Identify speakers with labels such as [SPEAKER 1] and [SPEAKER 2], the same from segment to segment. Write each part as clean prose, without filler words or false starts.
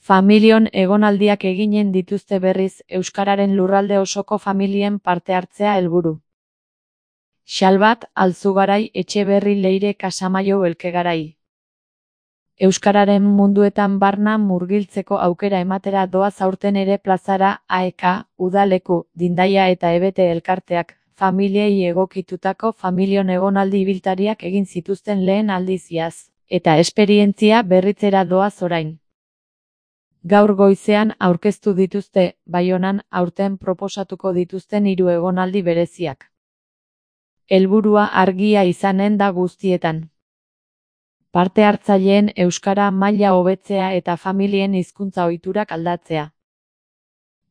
[SPEAKER 1] Familion egonaldiak eginen dituzte berriz euskararen lurralde osoko familien parte hartzea helburu. Xalbat, Alzugarai, Etxeberri, Leire, Kasamaio, Elkegarai. Euskararen munduetan barna murgiltzeko aukera ematera doaz aurten ere plazara AEK, Udaleku, Dindaia eta Ebete elkarteak, familiei egokitutako familion egonaldi ibiltariak egin zituzten lehen aldiz iaz, eta esperientzia berritzera doaz orain. Gaur goizean aurkeztu dituzte, Baionan aurten proposatuko dituzten 3 egonaldi bereziak. Helburua argia izanen da guztietan. Parte hartzaileen euskara maila hobetzea eta familien hizkuntza ohiturak aldatzea.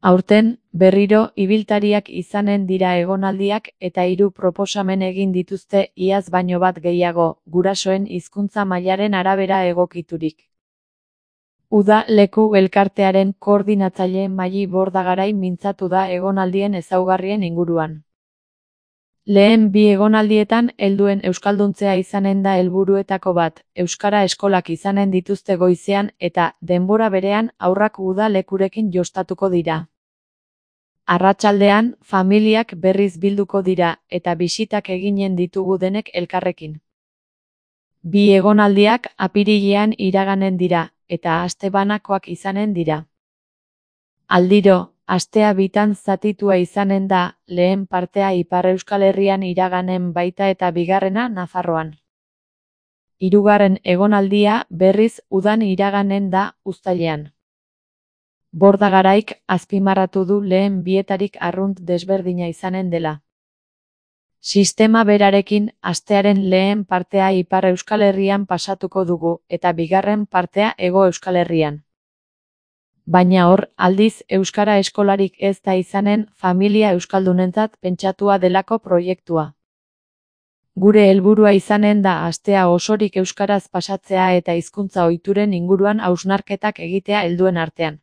[SPEAKER 1] Aurten, berriro ibiltariak izanen dira egonaldiak eta 3 proposamen egin dituzte iaz baino bat gehiago, gurasoen hizkuntza mailaren arabera egokiturik. Udaleku elkartearen koordinatzaile Maili Bordagarai mintzatu da egonaldien ezaugarrien inguruan. Lehen 2 egonaldietan helduen euskalduntzea izanen da helburuetako bat, euskara eskolak izanen dituzte goizean eta, denbora berean, haurrak udalekurekin jostatuko dira. Arratsaldean, familiak berriz bilduko dira eta bisitak eginen ditugu denek elkarrekin. 2 egonaldiak apirilean iraganen dira, eta aste banakoak izanen dira. Aldiro, astea bitan zatitua izanen da, lehen partea Ipar Euskal Herrian iraganen baita eta bigarrena Nafarroan. 3. egonaldia berriz udan iraganen da uztailean. Bordagaraik azpimarratu du lehen bietarik arrunt desberdina izanen dela. Sistema berarekin astearen lehen partea Ipar Euskal Herrian pasatuko dugu eta bigarren partea Hego Euskal Herrian. Baina hor, aldiz euskara eskolarik ez da izanen familia euskaldunentzat pentsatua delako proiektua. Gure helburua izanen da astea osorik euskaraz pasatzea eta hizkuntza ohituren inguruan hausnarketak egitea helduen artean.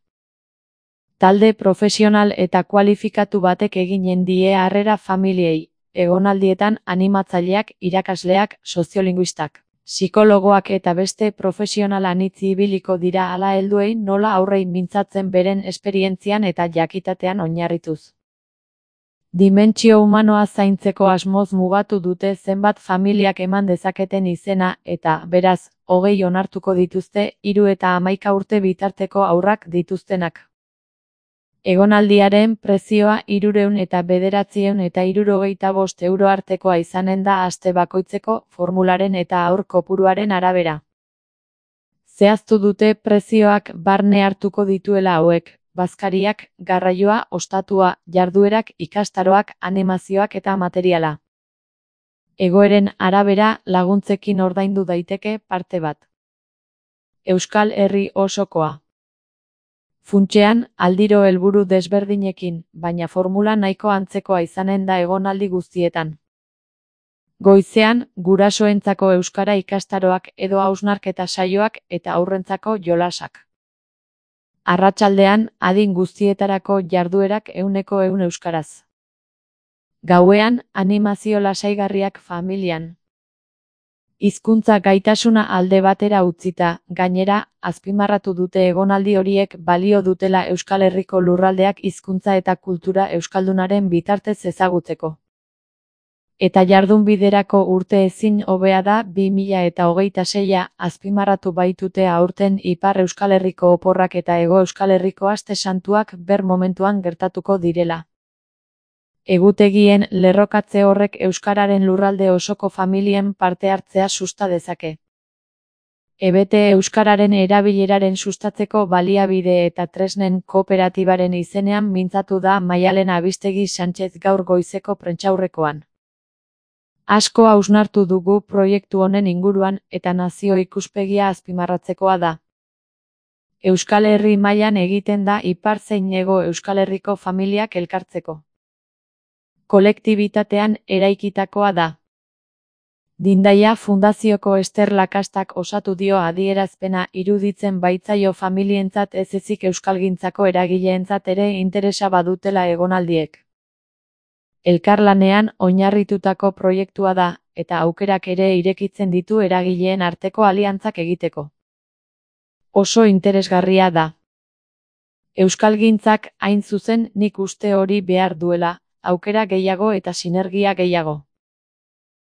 [SPEAKER 1] Talde profesional eta kualifikatu batek eginen die harrera familiei, egonaldietan animatzaileak, irakasleak, soziolinguistak, psikologoak eta beste profesional anitz ibiliko dira hala helduei nola aurrei mintzatzen beren esperientzian eta jakitatean oinarrituz. Dimentsio humanoa zaintzeko asmoz mugatu dute zenbat familiak eman dezaketen izena eta, beraz, 20 onartuko dituzte 3 eta 11 urte bitarteko haurrak dituztenak. Egonaldiaren prezioa 399,65 euro artekoa izanen da aste bakoitzeko formularen eta haur kopuruaren arabera. Zehaztu dute prezioak barne hartuko dituela hauek, bazkariak, garraioa, ostatua, jarduerak, ikastaroak, animazioak eta materiala. Egoeren arabera laguntzekin ordaindu daiteke parte bat. Euskal Herri osokoa. Funtsean, aldiro helburu desberdinekin, baina formula nahiko antzekoa izanen da egonaldi guztietan. Goizean, gurasoentzako euskara ikastaroak edo hausnarketa saioak eta haurrentzako jolasak. Arratsaldean, adin guztietarako jarduerak 100% euskaraz. Gauean, animazio lasaigarriak familian. Hizkuntza gaitasuna alde batera utzita, gainera, azpimarratu dute egonaldi horiek balio dutela Euskal Herriko lurraldeak hizkuntza eta kultura euskaldunaren bitartez ezagutzeko. Eta jardunbiderako urte ezin hobea da 2026 azpimarratu baitute aurten Ipar Euskal Herriko oporrak eta Hego Euskal Herriko aste santuak ber momentuan gertatuko direla. Egutegien lerrokatze horrek euskararen lurralde osoko familien parte hartzea susta dezake. Ebete euskararen erabileraren sustatzeko baliabide eta tresnen kooperatibaren izenean mintzatu da Maialen Abistegi Sánchez gaur goizeko prentsaurrekoan. Asko hausnartu dugu proiektu honen inguruan eta nazio ikuspegia azpimarratzekoa da. Euskal Herri mailan egiten da Ipar zein Hego Euskal Herriko familiak elkartzeko. Kolektibitatean eraikitakoa da. Dindaia Fundazioko Ester Lakastak osatu dio adierazpena iruditzen baitzaio familientzat ez ezik euskalgintzako eragileentzat ere interesa badutela egonaldiek. Elkarlanean oinarritutako proiektua da, eta aukerak ere irekitzen ditu eragileen arteko aliantzak egiteko. Oso interesgarria da. Euskalgintzak, hain zuzen, nik uste hori behar duela, aukera gehiago eta sinergia gehiago.